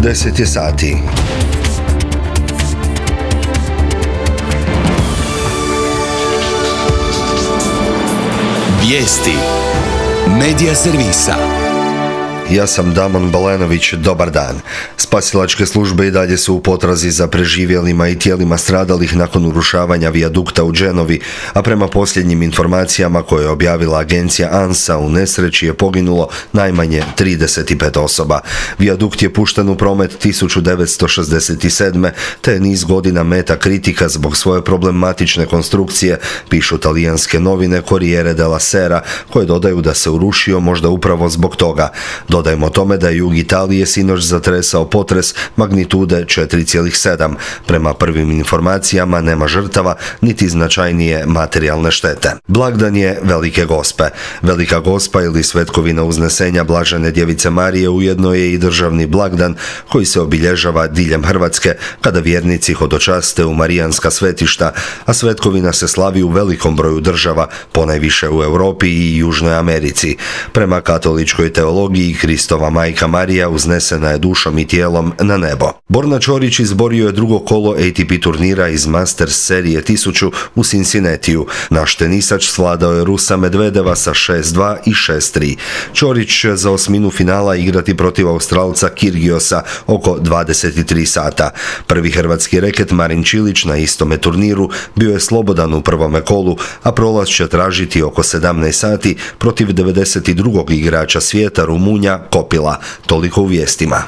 10 je sati. Vijesti Medija servisa. Ja sam Damon Balenović, dobar dan. Spasilačke službe i dalje su u potrazi za preživjelima i tijelima stradalih nakon urušavanja vijadukta u Genovi, a prema posljednjim informacijama koje je objavila agencija ANSA, u nesreći je poginulo najmanje 35 osoba. Vijadukt je pušten u promet 1967. te je niz godina meta kritika zbog svoje problematične konstrukcije, pišu talijanske novine Corriere della Sera, koje dodaju da se urušio možda upravo zbog toga. Dodajmo tome da je jug Italije sinoć zatresao potres magnitude 4,7. Prema prvim informacijama nema žrtava niti značajnije materijalne štete. Blagdan je Velike Gospe. Velika Gospa ili svetkovina uznesenja Blažene Djevice Marije ujedno je i državni blagdan koji se obilježava diljem Hrvatske kada vjernici hodočaste u marijanska svetišta, a svetkovina se slavi u velikom broju država, ponajviše u Europi i Južnoj Americi. Prema katoličkoj teologiji, Kristova majka Marija uznesena je dušom i tijelom na nebo. Borna Ćorić izborio je drugo kolo ATP turnira iz Masters serije 1000 u Cincinnatiju. Naš tenisač svladao je Rusa Medvedeva sa 6-2 i 6-3. Ćorić za osminu finala igrati protiv Australca Kyrgiosa oko 23 sata. Prvi hrvatski reket Marin Čilić na istome turniru bio je slobodan u prvome kolu, a prolaz će tražiti oko 17 sati protiv 92. igrača svijeta Rumunja Kopila. Toliko u vijestima.